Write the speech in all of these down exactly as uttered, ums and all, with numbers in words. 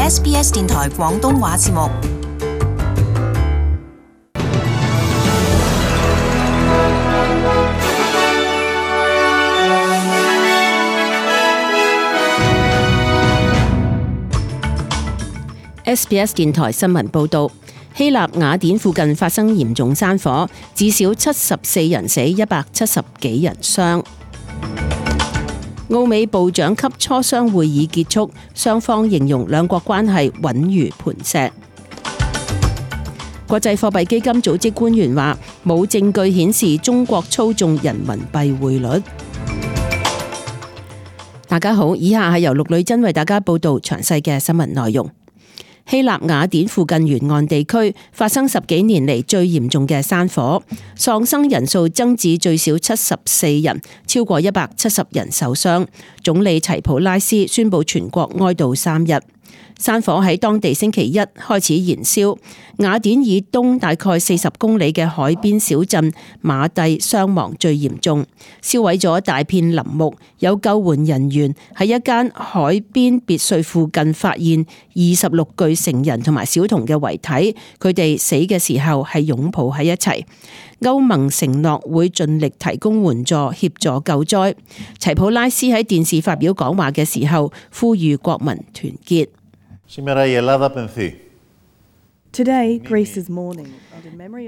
S B S 電台廣東話節目。S B S 電台新聞報道，希臘雅典附近發生嚴重山火，至少七十四人死，一百七十幾人傷。澳美部長級磋商會議結束，雙方形容兩國關係穩如磐石。國際貨幣基金組織官員話，冇證據顯示中國操縱人民幣匯率。大家好，以下係由陸女真為大家報道詳細嘅新聞內容。希臘雅典附近沿岸地區發生十幾年嚟最嚴重嘅山火，喪生人數增至最少七十四人，超過一百七十人受傷。總理齊普拉斯宣布全國哀悼三日。山火喺當地星期一開始燃燒，雅典以東大概四十公里嘅海邊小鎮馬蒂傷亡最嚴重，燒毀咗大片林木。有救援人員喺一間海邊別墅附近發現二十六具成人同埋小童嘅遺體，佢哋死嘅時候係擁抱喺一齊。歐盟承諾會盡力提供援助協助救災。齊普拉斯喺電視發表講話嘅時候，呼籲國民團結。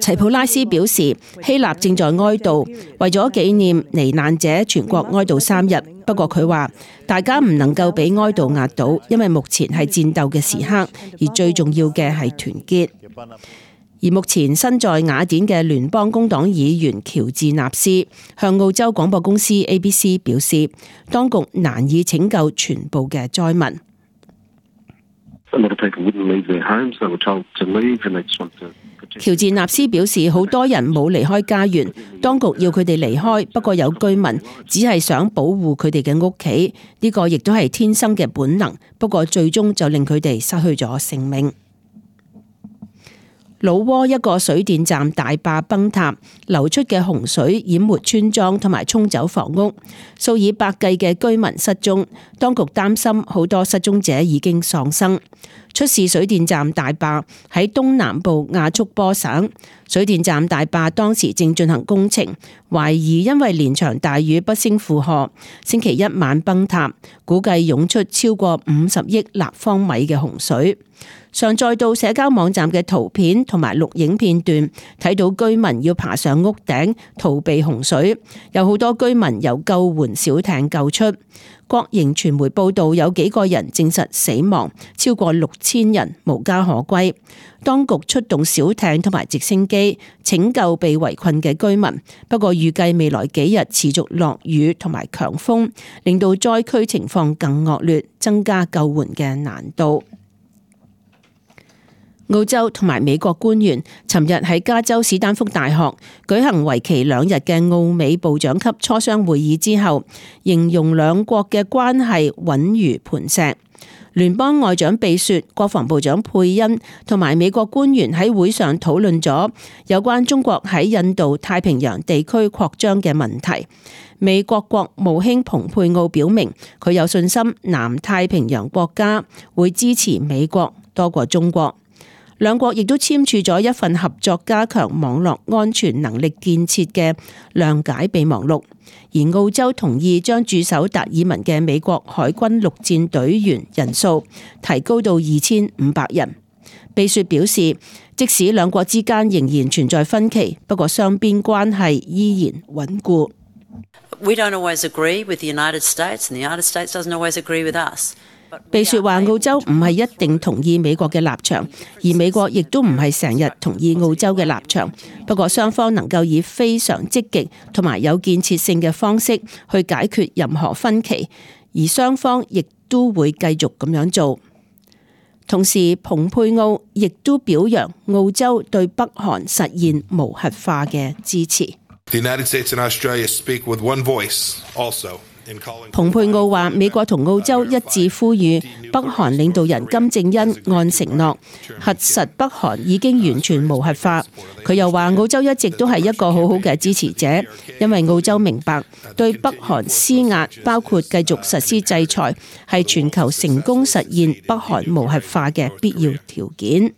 齊普拉斯表示，希臘正在哀悼，為咗紀念罹難者，全國哀悼三日。不過佢話，大家唔能夠俾哀悼壓倒，因為目前係戰鬥嘅時刻，而最重要嘅係團結。而目前身在雅典嘅聯邦工黨議員喬治納斯向澳洲廣播公司 A B C 表示，當局難以拯救全部嘅災民。喬治納斯表示，好多人冇離開家園，當局要佢哋離開，不過有居民只係想保護佢哋嘅屋企，呢個亦都係天生嘅本能，不過最終就令佢哋失去咗性命。老撾一個水電站大壩崩塌，流出嘅洪水淹沒村莊同埋沖走房屋，數以百計嘅居民失蹤。當局擔心好多失蹤者已經喪生。出事水電站大壩喺東南部亞速波省，水電站大壩當時正進行工程，懷疑因為連場大雨不勝負荷，星期一晚崩塌，估計湧出超過五十億立方米嘅洪水。上載到社交網站嘅圖片同埋錄影片段，睇到居民要爬上屋頂逃避洪水，有好多居民由救援小艇救出。國營傳媒報道有幾個人證實死亡，超過六千人無家可歸。當局出動小艇同埋直升機拯救被圍困嘅居民，不過預計未來幾日持續落雨同埋強風，令到災區情況更惡劣，增加救援嘅難度。澳洲同埋美國官員尋日喺加州史丹福大學舉行為期兩日嘅澳美部長級磋商會議之後，形容兩國嘅關係穩如磐石。聯邦外長秘書、國防部長佩恩同埋美國官員喺會上討論咗有關中國喺印度太平洋地區擴張嘅問題。美國國務卿蓬佩奧表明，佢有信心南太平洋國家會支持美國多過中國。兩國亦都簽署咗一份合作加強網絡安全能力建設嘅諒解備忘錄，而澳洲同意將駐守達爾文嘅美國海軍陸戰隊員人數提高到二千五百人。秘書表示，即使兩國之間仍然存在分歧，不過雙邊關係依然穩固。We don't always agree with the United States, and the United States doesn't always agree with us. 秘書話，澳洲唔係一定同意美國嘅立場，而美國亦都唔係成日同意澳洲嘅立場。不過雙方能夠以非常積極同埋有建設性嘅方式去解決任何分歧，而雙方亦都會繼續咁樣做。同時，蓬佩奧亦都表揚澳洲對北韓實現無核化嘅支持。The United States and Australia speak with one voice also 蓬佩奧話：美國同澳洲一致呼籲北韓領導人金正恩按承諾核實北韓已經完全無核化。佢又話：澳洲一直都係一個好好嘅支持者，因為澳洲明白對北韓施壓，包括繼續實施制裁，係全球成功實現北韓無核化嘅必要條件。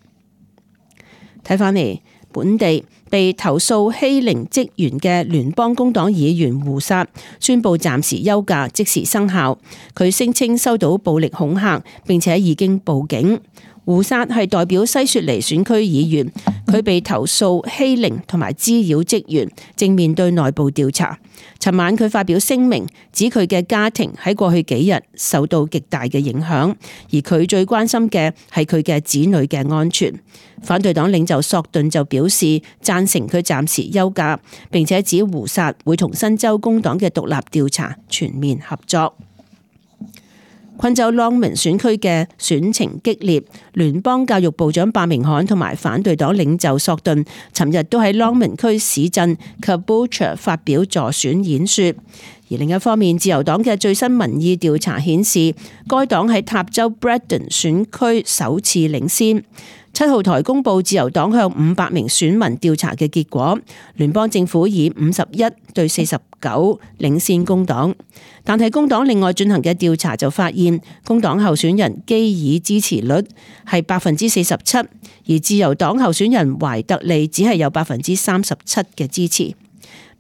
睇返嚟，本地被投訴欺凌職員嘅聯邦工黨議員胡薩宣布暫時休假，即時生效。佢聲稱收到暴力恐嚇，並且已經報警。胡薩係代表西雪梨選區議員，佢被投訴欺凌同埋滋擾職員，正面對內部調查。尋晚佢發表聲明，指佢嘅家庭喺過去幾日受到極大嘅影響，而佢最關心嘅係佢嘅子女嘅安全。反對黨領袖索頓就表示贊成佢暫時休假，並且指胡薩會同新州工黨嘅獨立調查全面合作。昆州 Longman 選區嘅選情激烈，聯邦教育部長伯明翰同埋反對黨領袖索頓尋日都喺 Longman 區市鎮 Caboolture 發表助選演說。而另一方面，自由黨嘅最新民意調查顯示，該黨喺塔州 Brandon 選區首次領先。七號台公佈自由黨向五百名選民調查嘅結果，聯邦政府以五十一對四十九領先工黨，但係工黨另外進行嘅調查就發現，工黨候選人基爾支持率係百分之四十七，而自由黨候選人懷特利只係有百分之三十七嘅支持。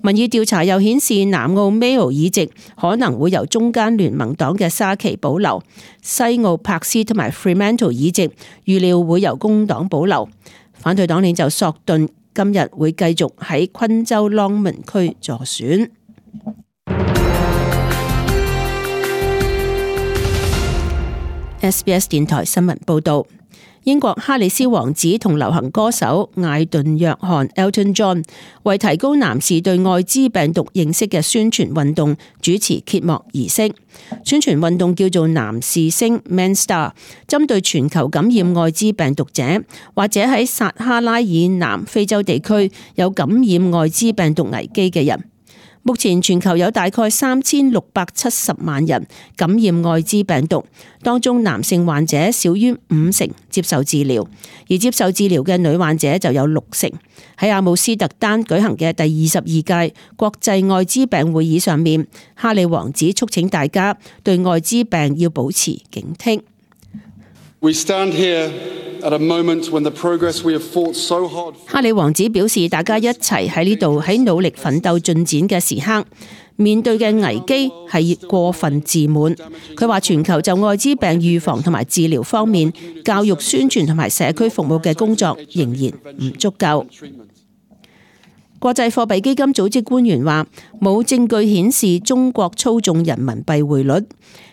民意調查又顯示，南澳 Mayo 議席可能會由中間聯盟黨嘅沙奇保留，西澳柏斯同埋 Fremantle 議席預料會由工黨保留。反對黨領袖索頓今日會繼續喺昆州 Longman 區助選。S B S 電台新聞報道。英國哈里斯王子同流行歌手艾頓約翰 Elton John 為提高男士對艾滋病毒認識嘅宣傳運動主持揭幕儀式。宣傳運動叫做男士星 Man Star， 針對全球感染艾滋病毒者或者喺撒哈拉以南非洲地區有感染艾滋病毒危機嘅人。目前全球有大概三千六百七十萬人感染艾滋病毒，當中男性患者少於五成接受治療，而接受治療嘅女患者就有六成。喺阿姆斯特丹舉行嘅第二十二屆國際艾滋病會議上面，哈里王子促請大家對艾滋病要保持警惕。We stand here at a moment when the progress we have fought so hard. 哈里王子表示，大家一齊喺呢度喺努力奮鬥進展嘅時刻，面對嘅危機係過分自滿。佢話全球就艾滋病預防同埋治療方面，教育宣傳同埋社區服務嘅工作仍然唔足夠。國際貨幣基金組織官員話，冇證據顯示中國操縱人民幣匯率。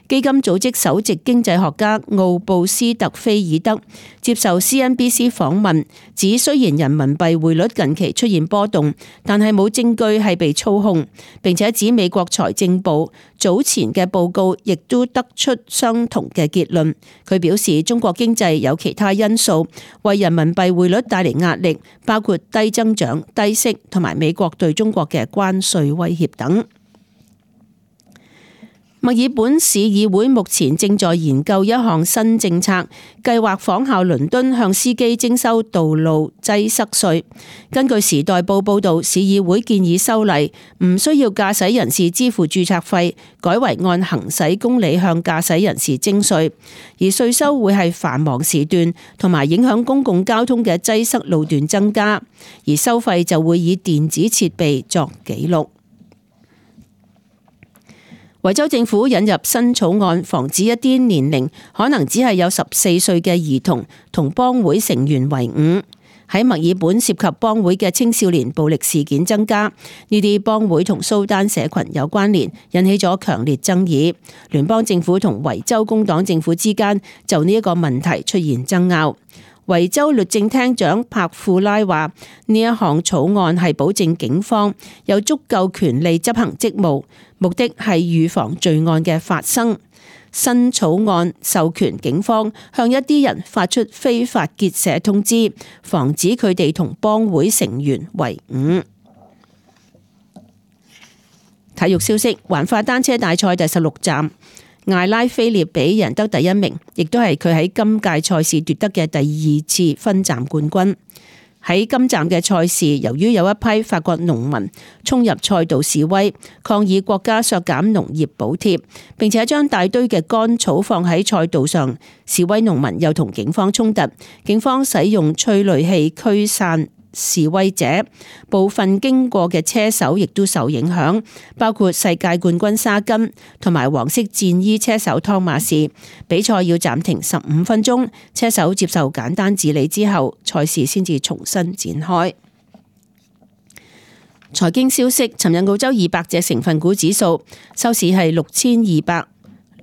基金組織首席經濟學家奧布斯特菲爾德接受 C N B C 訪問，指雖然人民幣匯率近期出現波動，但係冇證據係被操控，並且指美國財政部早前嘅報告亦都得出相同嘅結論。佢表示，中國經濟有其他因素為人民幣匯率帶嚟壓力，包括低增長、低息同埋美國對中國嘅關稅威脅等。墨爾本市議會目前正在研究一項新政策，計劃仿效倫敦向司機徵收道路擠塞稅。根據時代報報道，市議會建議修例，唔需要駕駛人士支付註冊費，改為按行駛公里向駕駛人士徵稅，而稅收會係繁忙時段同埋影響公共交通嘅擠塞路段增加，而收費就會以電子設備作記錄。維州政府引入新草案，防止一啲年齡可能只係有十四歲嘅兒童同幫會成員為伍。喺墨爾本涉及幫會嘅青少年暴力事件增加，呢啲幫會同蘇丹社群有關聯，引起咗強烈爭議。聯邦政府同維州工黨政府之間就呢一個問題出現爭拗。維州律政廳長帕庫拉話：呢一項草案係保證警方有足夠權力執行職務，目的係預防罪案嘅發生。新草案授權警方向一啲人發出非法結社通知，防止佢哋同幫會成員為伍。體育消息，環法單車大賽第十六站，艾拉菲列比贏得第一名，亦都係佢喺今屆賽事奪得嘅第二次分站冠軍。喺今站嘅賽事，由於有一批法國農民衝入賽道示威，抗議國家削減農業補貼，並且將大堆嘅乾草放喺賽道上，示威農民又同警方衝突，警方使用催淚氣驅散示威者，部分經過嘅車手亦都受影響，包括世界冠軍沙根同埋黃色戰衣車手湯馬士。比賽要暫停十五分鐘，車手接受簡單治理之後，賽事先至重新展開。財經消息，尋日澳洲二百隻成分股指數收市係六千二百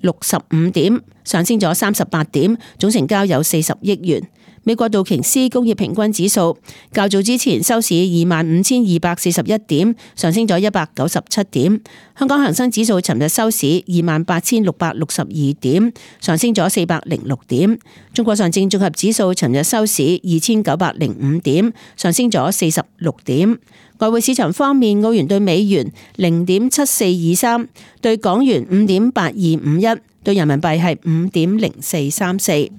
六十五點，上升咗三十八點，總成交有四十億元。美國道瓊斯工業平均指數較早之前收市二萬五千二百四十一點，上升咗一百九十七點。香港恒生指數尋日收市二萬八千六百六十二點，上升咗四百零六點。中國上證綜合指數尋日收市二千九百零五點，上升咗四十六點。外匯市場方面，澳元對美元零點七四二三，對港元五點八二五一，對人民幣係五點零四三四。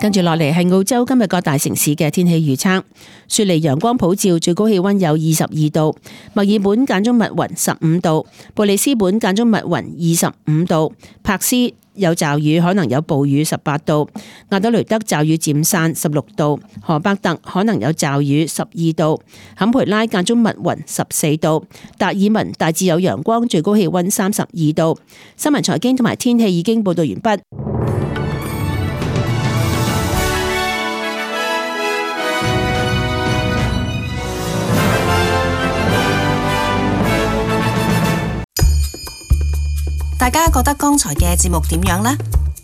跟住落嚟係澳洲今日各大城市嘅天氣預測。雪梨陽光普照，最高氣溫有二十二度；墨爾本間中密雲十五度；布里斯本間中密雲二十五度；柏斯有驟雨，可能有暴雨十八度；亞德雷德驟雨漸散十六度；荷伯特可能有驟雨十二度；坎培拉間中密雲十四度；達爾文大致有陽光，最高氣溫三十二度。新聞財經同埋天氣已經報道完畢。大家覺得剛才嘅節目點樣呢？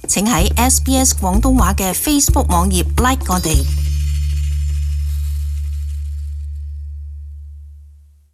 請喺 S B S 廣東話嘅 Facebook 網頁 like 我哋。